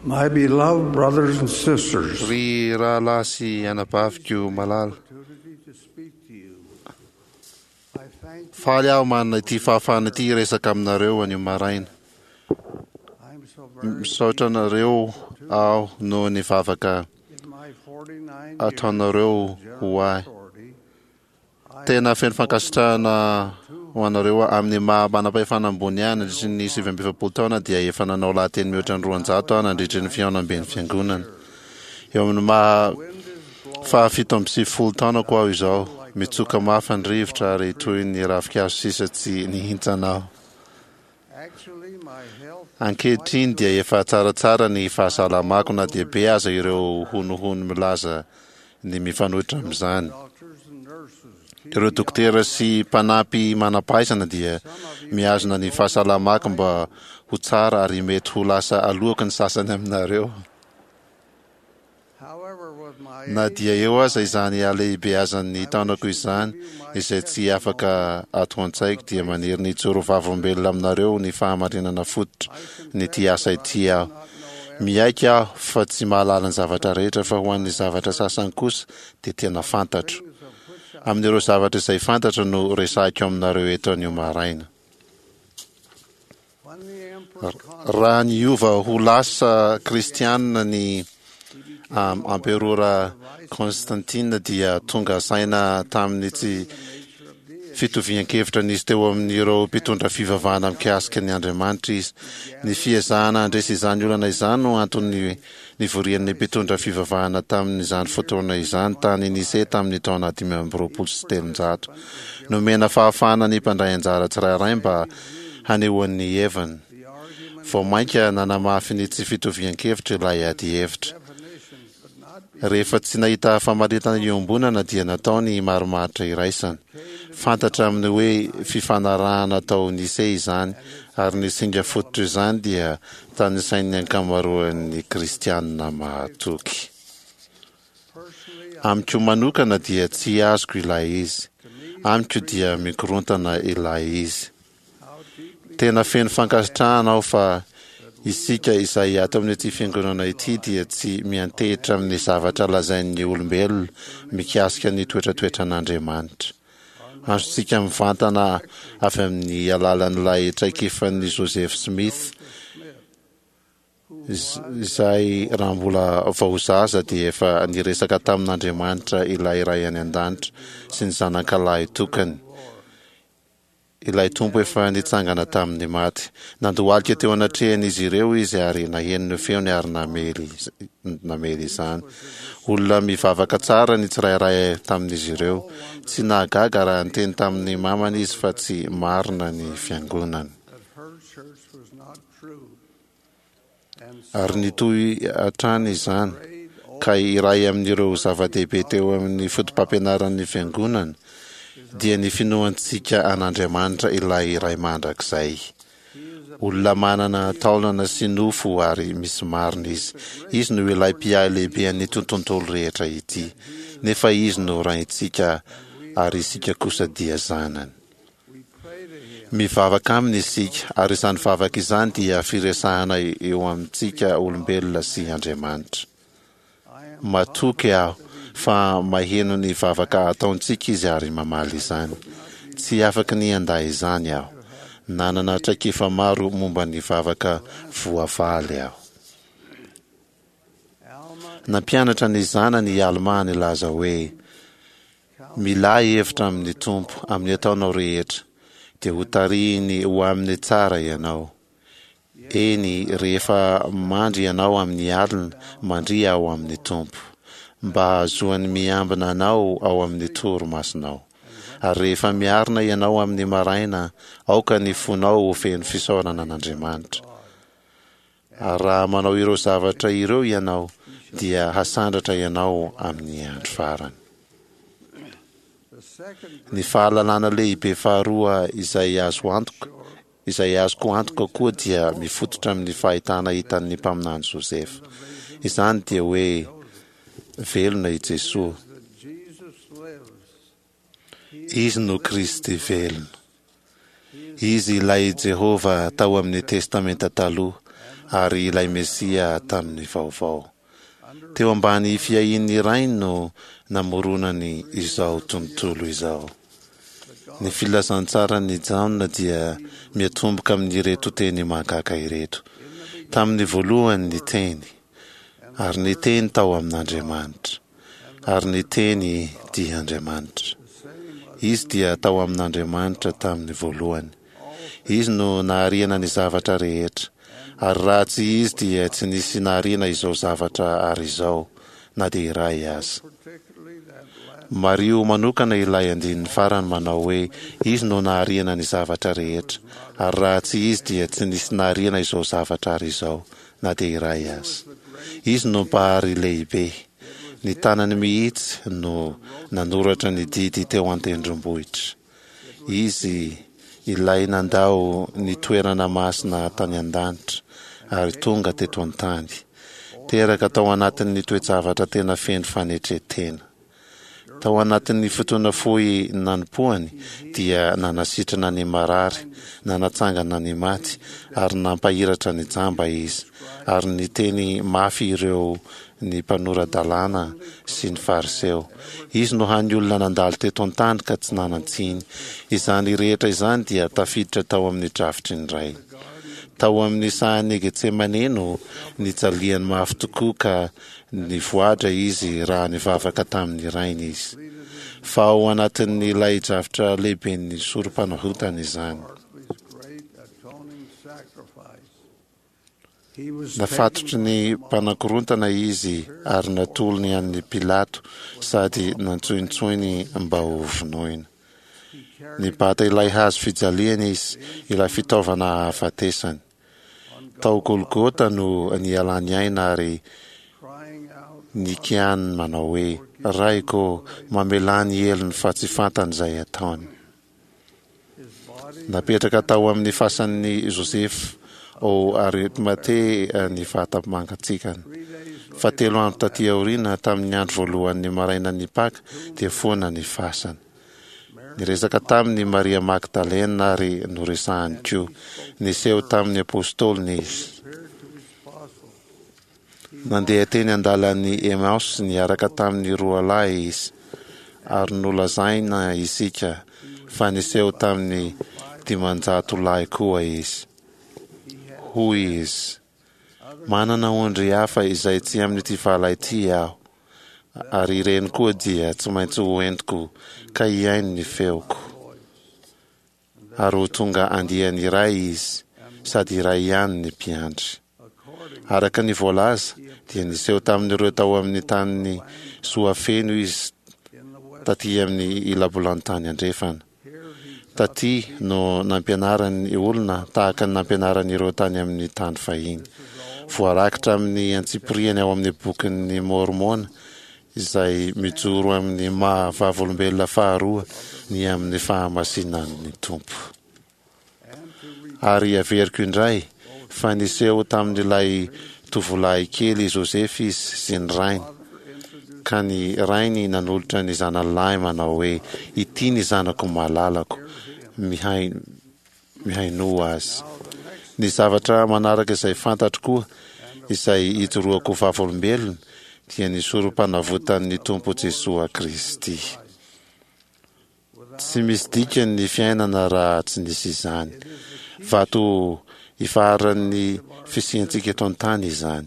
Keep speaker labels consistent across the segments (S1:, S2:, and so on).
S1: My beloved brothers and sisters,
S2: Ry rahalahy sy anabaviko malala,
S1: opportunity to speak to you. I thank
S2: faly aho manana ity fahafahana ity hiresaka aminareo anio maraina.
S1: I'm so very
S2: Misaotra anareo aho noho ny vavaka
S1: in my 49 years
S2: ataonareo
S1: of
S2: ho
S1: general
S2: ahy.
S1: authority, I
S2: Tena feno fankasitrahana ho anareo aho. Amin'ny maha manam-pahefana ambony ahy nandritry ny 49 taona dia efa nanao lahateny mihoatra ny 200 aho nandritry ny fihaonamben'ny fiangonana. Eo amin'ny maha
S1: wind is blowing
S2: faha 97 taonako aho izao, mitsoka mafy ny rivotra ary toy ny ravinkazo sisa tsy nihintsana aho.
S1: Actually, my health
S2: Ankehitriny dia efa tsaratsara ny fahasalamako na dia be aza ireo honohono milaza ny mifanohitra amin'izany.
S1: doctors and nurses keep
S2: Ireo
S1: me
S2: dokotera sy mpanampy manam-pahaizana dia mihazona ny fahasalamako mba ho tsara ary mety ho lasa alohaky ny sasany aminareo.
S1: However, with my
S2: Na
S1: age
S2: dia eo aza izany halehibeazan'ny taonako izany, izay tsy afaka ato an-tsaiko dia maniry ny hijoro vavolombelona aminareo ny fahamarinana fototra ny ity asa ity aho. Miaiky aho fa tsy mahalala ny zavatra rehetra fa ho an'ny zavatra sasany kosa dia tena fantatro.
S1: things of which I
S2: Amin'ireo zavatra izay fantatra no resahiko aminareo eto anio maraina.
S1: when the Emperor
S2: Raha niova ho lasa kristianina ny amperora Constantine dia tonga saina tamin'ny tsy fitovian-kevitra nisy teo amin'ireo mpitondra fivavahana mikasika ny Andriamanitra izy. Ny fiezahana handresy izany olana izany no antony nivorian'ny mpitondra fivavahana tamin'izany fotoana izany tany Nicée tamin'ny taona 325. Nomena fahafahana ny mpandray anjara tsirairay mba hanehoany ny heviny.
S1: the argument
S2: Vao mainka nanamafy ny tsy fitovian-kevitra ilay adihevitra.
S1: definition could not be
S2: Rehefa tsy nahita famaritana iombonana dia natao ny marimaritra iraisana. Fantatra amin'ny hoe fifanarahana tao Nicée izany ary ny singa fototra izany dia tanisain'ny ankamaroan'ny kristianina mahatoky.
S1: personally
S2: Amiko manokana dia tsy azoko ilay izy.
S1: to me
S2: Amiko dia mikorontana ilay izy.
S1: how deeply
S2: Tena feno fankasitrahana aho fa isika izay ato amin'ity fiangonana ity dia tsy miantehitra amin'ny zavatra lazain'ny olombelona mikasika ny toetratoetran'Andriamanitra. Azontsika mivantana avy amin'ny alalan'ilay traikefan'i Joseph Smith izay raha mbola vao zaza dia efa niresaka tamin'Andriamanitra ilay Ray any an-danitra sy ny zanakalahy tokany. Ilay Tompo efa nitsangana tamin'ny maty. Nandohalika teo anatrehan'izy ireo izy ary naheno ny feony ary namely namely izany. Olona mivavaka tsara ny tsirairay tamin'izy ireo. Tsy nahagaga raha niteny tamin'ny mamany izy fa tsy marina ny fiangonany.
S1: that her church was not true. And
S2: Ary
S1: so
S2: nitohy hatrany izany.
S1: prayed
S2: Ka iray amin'ireo zava-dehibe teo amin'ny foto-pampianaran'ny fiangonana dia ny finoantsika an'Andriamanitra ilay Ray mandrakizay. Olona manana taolana sy nofo ary misy marina izy. Izy no ilay mpiahy lehibe an'ny tontolo rehetra ity. Nefa izy no raintsika ary isika kosa dia zanany.
S1: we pray to him
S2: Mivavaka aminy isika ary izany vavaka izany dia firesahana eo amintsika olombelona sy Andriamanitra.
S1: I am
S2: Matoky aho fa maheno ny vavaka ataontsika izy ary mamaly izany. Tsy afaky ny handà izany aho. Nanana traikefa maro momba ny vavaka voavaly aho.
S1: Alma
S2: Nampianatra ny zanany i Alma nilaza hoe milà hevitra amin'ny Tompo amin'ny ataonao rehetra dia ho tarihiny ho amin'ny tsara ianao. Eny, rehefa mandry ianao amin'ny alina, mandria ao amin'ny Tompo, mba hahazoany miambina anao ao amin'ny torimasonao. Ary rehefa miarina ianao amin'ny maraina, aoka ny fonao ho feno fisaorana an'Andriamanitra. Ary raha manao ireo zavatra ireo ianao, dia hasandratra ianao amin'ny andro farany.
S1: the second
S2: Ny fahalalana lehibe faharoa izay azo antoka izay azoko antoka koa dia mifototra amin'ny fahitana hitan'ny mpaminany Joseph. Izany dia hoe velona i Jesoa.
S1: that Jesus lives.
S2: Izy no Kristy velona. Izy ilay Jehovah tao amin'ny Testamenta taloha. ary ilay Mesia tamin'ny vaovao. Teo ambany fiahian'ny Rainy no namoronany izao tontolo izao. Ny Filazantsaran'i Jaona dia miatomboka amin'ireto teny mahagaga ireto, Tamin'ny voalohany ny Teny, ary ny Teny tao amin'Andriamanitra, ary ny Teny dia Andriamanitra. Izy dia tao amin'Andriamanitra tamin'ny voalohany. Izy no nahariana ny zavatra rehetra, ary raha tsy Izy dia tsy nisy nahariana izao zavatra ary izao, na dia iray aza. Mariho manokana ilay andininy farany manao hoe, Izy no nahariana ny zavatra rehetra, ary raha tsy Izy dia tsy nisy nahariana izao zavatra ary izao, na dia iray aza. Izy no Mpahary lehibe. Ny tanany mihitsy no nanoratra ny didy teo an-tendrombohitra. Izy ilay nandao ny toerana masina tany an-danitra ary tonga teto an-tany. Teraka tao anatin'ny toe-javatra tena feno fanetren-tena. Tao anatin'ny fotoana fohy nanompoany dia nanasitrana ny marary, nanatsangana ny maty ary nampahiratra ny jamba izy, ary niteny mafy ireo ny mpanora-dalàna sy ny Fariseo. Izy no hany olona nandalo teto an-tany ka tsy nanan-tsiny. Izany rehetra izany dia tafiditra tao amin'ny drafitry ny Ray. Tao amin'ny sahan'i Getsemane no nijaliany mafy tokoa ka nivoadra izy raha nivavaka tamin'ny Rainy izy. Fa ao anatin'ilay drafitra lehiben'ny sorom-panavotana izany. Nafatotry ny mpanakorontana izy ary natolony an'i Pilato sady nantsointsoiny mba ho vonoina. Nibata ilay hazo fijaliana izy, ilay fitaovana hahafatesany. Tao Golgota no nialany aina ary nikianiny manao hoe, Raiko ô, mamelà ny helony fa tsy fantany izay ataony. Napetraka tao amin'ny fasan'i Josefa ao Arimatea ny vata-mangatsiakany. Fa telo andro tatỳ aoriana, tamin'ny andro voalohan'ny marainan'ny Paka, dia foana ny fasana. Niresaka taminy i Maria Magdalena ary noresahany koa. Niseho tamin'ny apostoliny izy. Nandeha teny an-dalan'i Emaosy niaraka tamin'ny roa lahy izy, ary nolazaina isika fa niseho tamin'ny 500 lahy koa izy. Hoy izy, Manana ondry hafa izay tsy amin'ity vala ity aho, ary ireny koa dia tsy maintsy ho entiko ka hihaino ny feoko. Ary ho tonga andiany iray izy, sady iray ihany ny mpiandry. Araka ny voalaza, dia niseho tamin'ireo tao amin'ny tanin'i Soafeno izy taty amin'ny ilabolantany andrefana. Taty no nampianarany ny olona tahaka ny nampianarany ireo tany amin'ny tany fahiny. Voarakitra amin'ny antsipiriany ao amin'ny Bokin'i Môrmôna izay mijoro amin'ny maha vavolombelona faharoa ny amin'ny fahamasinan'ny Tompo. Ary averiko indray fa niseho tamin'ilay tovolahy kely Joseph izy sy ny rainy, ka ny rainy nanolotra ny zanany lahy manao hoe, Ity ny zanako malalako, mihainoa azy. Ny zavatra manaraka izay fantatro koa, izay ijoroako vavolombelona, dia ny sorom-panavotan'ny Tompo Jesoa Kristy. Tsy misy dikany ny fiainana raha tsy nisy izany. Vato ifaharan'ny fisiantsika eto an-tany izany.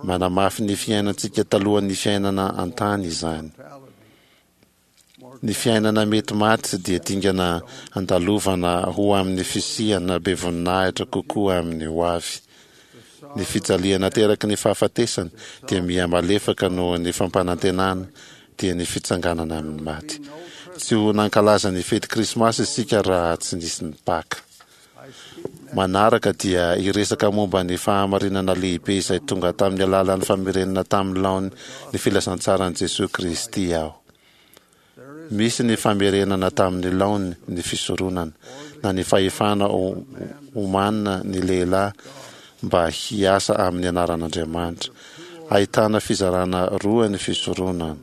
S2: Manamafy ny fiainantsika talohan'ny fiainana an-tany izany. Ny fiainana mety maty dia dingana andalovana ho amin'ny fisiana be voninahitra kokoa amin'ny ho avy. Ny fijaliana ateraky ny fahafatesana dia miha-malefaka noho ny fampanantenana, dia ny fitsanganana amin'ny maty. Tsy ho nankalaza ny fety Krismasy isika raha tsy nisy ny Paka. Manaraka dia hiresaka momba ny fahamarinana lehibe izay tonga tamin'ny alalan'ny famerenana tamin'ny laoniny ny filazantsaran'i Jesoa Kristy aho. Misy ny famerenana tamin'ny laoniny ny fisoronana, na ny fahefana omanina ny lehilahy mba hiasa amin'ny anaran'Andriamanitra. Ahitana fizarana roa ny fisoronana.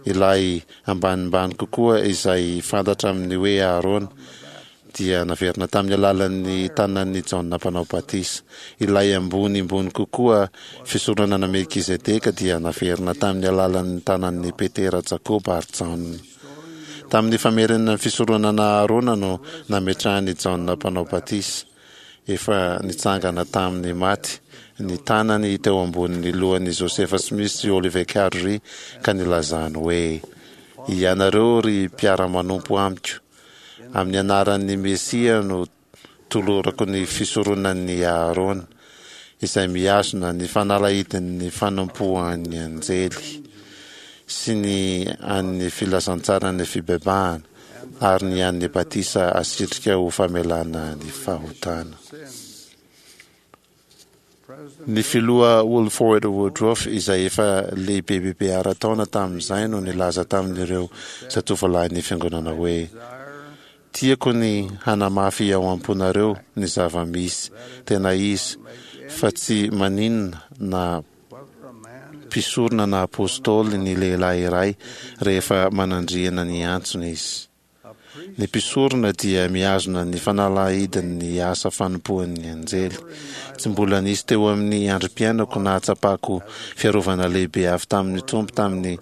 S2: Ilay ambanimbany kokoa izay fantatra amin'ny hoe Aharôna. dia naverina tamin'ny alalan'ny tanan'i Jaona Mpanao Batisa. Ilay ambonimbony kokoa fisoronana Melkizedeka dia naverina tamin'ny alalan'ny tanan'i Petera, Jakoba ary Jaona. Tamin'ny famerenana ny fisoronana Aharona no nametrahan'i Jaona Mpanao Batisa, efa nitsangana tamin'ny maty, ny tanany teo ambonin'ny lohan'i Josefa Smith sy Oliver Cowdery ka nilazany hoe, Ianareo ry mpiara-manompo amiko, amin'ny anaran'ny Mesia no tolorako ny fisoronan'i Aharôna, izay mihazona ny fanalahidin'ny fanompoan'ny anjely, sy ny an'ny filazantsaran'ny fibebahana, ary ny an'ny batisa asitrika ho famelana ny fahotana. Ny Filoha Wilford Woodruff, izay efa lehibebebe ara-taona tamin'izay, no nilaza tamin'ireo zatovolahin'ny Fiangonana hoe, Tiako ny hanamafy ao am-ponareo ny zava-misy tena izy fa tsy maninona na mpisorona na apostoly ny lehilahy iray rehefa manandriana ny antsony izy. Ny mpisorona dia mihazona ny fanalahidin'ny asa fanompoan'ny anjely. Tsy mbola nisy teo amin'ny androm-piainako nahatsapako fiarovana lehibe avy tamin'ny Tompo tamin'ny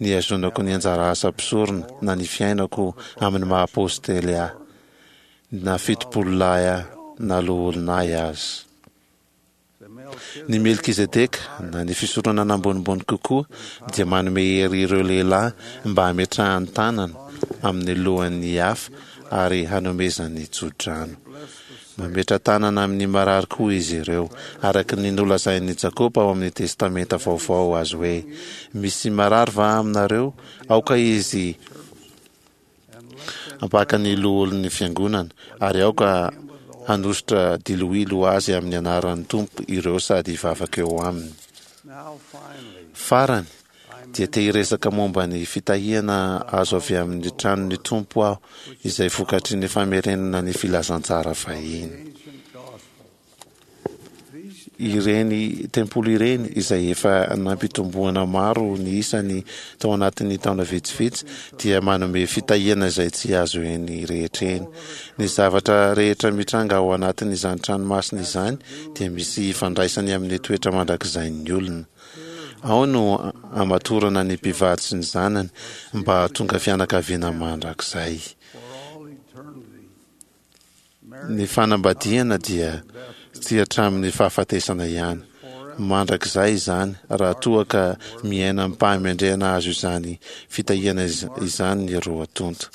S2: nihazonako ny anjara asa mpisorona na ny fiainako amin'ny maha apostely ahy, na fitopololahy ahy na loholona ahy aza. Ny Melkizedeka, na ny fisoronana ambonimbony kokoa, dia manome hery ireo lehilahy mba hametrahany tanana amin'ny lohan'ny hafa ary hanomezany tso-drano. Mametra-tanana amin'ny marary koa izy ireo, araka ny nolazain'i Jakoba ao amin'ny Testamenta Vaovao azy hoe, Misy marary va aminareo? Aoka izy Ampaka ny loholon'ny fiangonana, ary aoka hanosotra diloilo ho azy amin'ny anaran'ny Tompo ireo sady hivavaka eo aminy. Farany, dia te hiresaka momba ny fitahiana azo avy amin'ny tranon'ny Tompo aho, izay vokatry ny famerenana ny filazantsara fahiny. Ireny tempoly ireny, izay efa nampitomboana maro ny isany tao anatin'ny taona vitsivitsy, dia manome fitahiana izay tsy azo eny rehetra eny. Ny zavatra rehetra mitranga ao anatin'izany trano masina izany dia misy ifandraisany amin'ny toetra mandrakizain'ny olona. Ao no amatorana ny mpivady sy ny zanany mba hahatonga fianakaviana mandrakizay. Ny fanambadiana dia tsy hatramin'ny fahafatesana ihany. Mandrakizay izany raha toa ka miaina amim-pahamendrehana azo izany fitahiana izany ny roa tonta.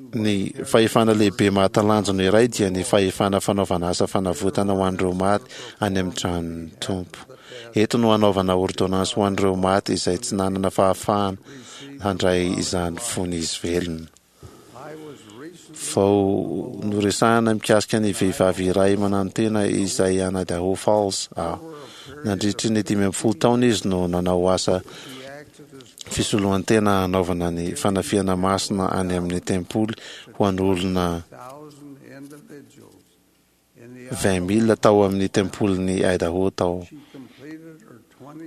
S2: Ny fahefana lehibe mahatalanjona iray dia ny fahefana fanaovana asa fanavotana ho an'ireo maty any amin'ny tranon'ny Tompo. Eto no hanaovana ôrdônansy ho an'ireo maty izay tsy nanana fahafahana handray izany fony izy velona. Vao noresahana mikasika ny vehivavy iray mananotena izay any Idaho Falls aho. Nandritry ny 15 taona izy no nanao asa fisoloan-tena hanaovana ny fanafihana masina any amin'ny tempoly ho an'olona 20,000 tao amin'ny tempolin'i Idaho tao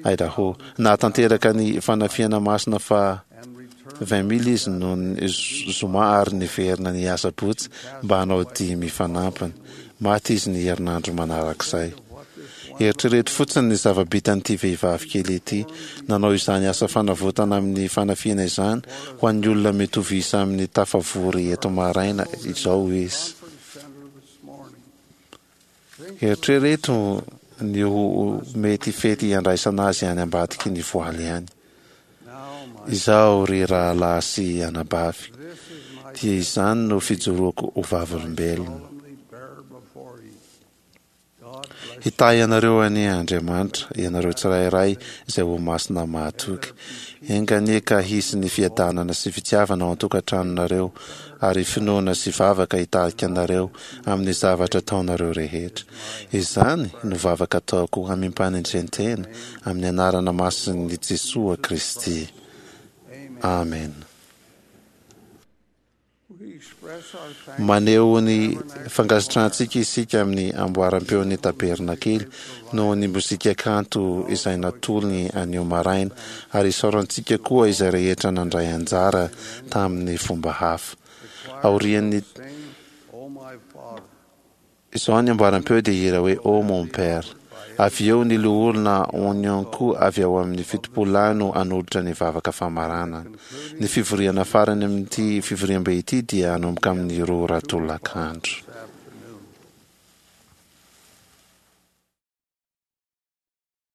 S2: Idaho. Nahatanteraka ny fanafihana masina faha 20,000 izy noho ny zoma ary niverina ny asabotsy mba hanao dimy fanampiny. Maty izy ny herinandro manarak'izay. Eritrereto fotsiny ny zava-bitan'ity vehivavy kely ity. Nanao izany asa fanavotana amin'ny fanafihana izany ho an'ny olona mitovy isa amin'ny tafavory eto maraina izao izy. Eritrereto ny ho mety fety handraisana azy any ambadiky ny voaly any. Izaho, ry rahalahy sy anabavy, dia izany no fijoroako ho vavolombelona. Hitahy anareo anie Andriamanitra, ianareo tsirairay izay ho masina mahatoky. Enga anie ka hisy ny fiadanana sy fitiavana ao an-tokantranonareo, ary finoana sy vavaka hitarika anareo amin'ny zavatra ataonareo rehetra. Izany no vavaka ataoko amim-panetren-tena amin'ny anarana masin'i Jesoa Kristy. Amena. Maneho ny fankasitrahantsika isika amin'ny amboaram-peon'ny Tabernakely noho ny mozika kanto izay natolony anio maraina, ary isaorantsika koa izay rehetra nandray anjara tamin'ny fomba hafa. Aorian'ny izao ny amboaram-peo dia hihira hoe Oh mon Père. Avy eo ny Loholona Onyanko avy ao amin'ny Fitopololahy no hanolotra ny vavaka famaranana. Ny fivoriana farany amin'ity fivoriambe ity dia hanomboka amin'ny roa ora tolakandro.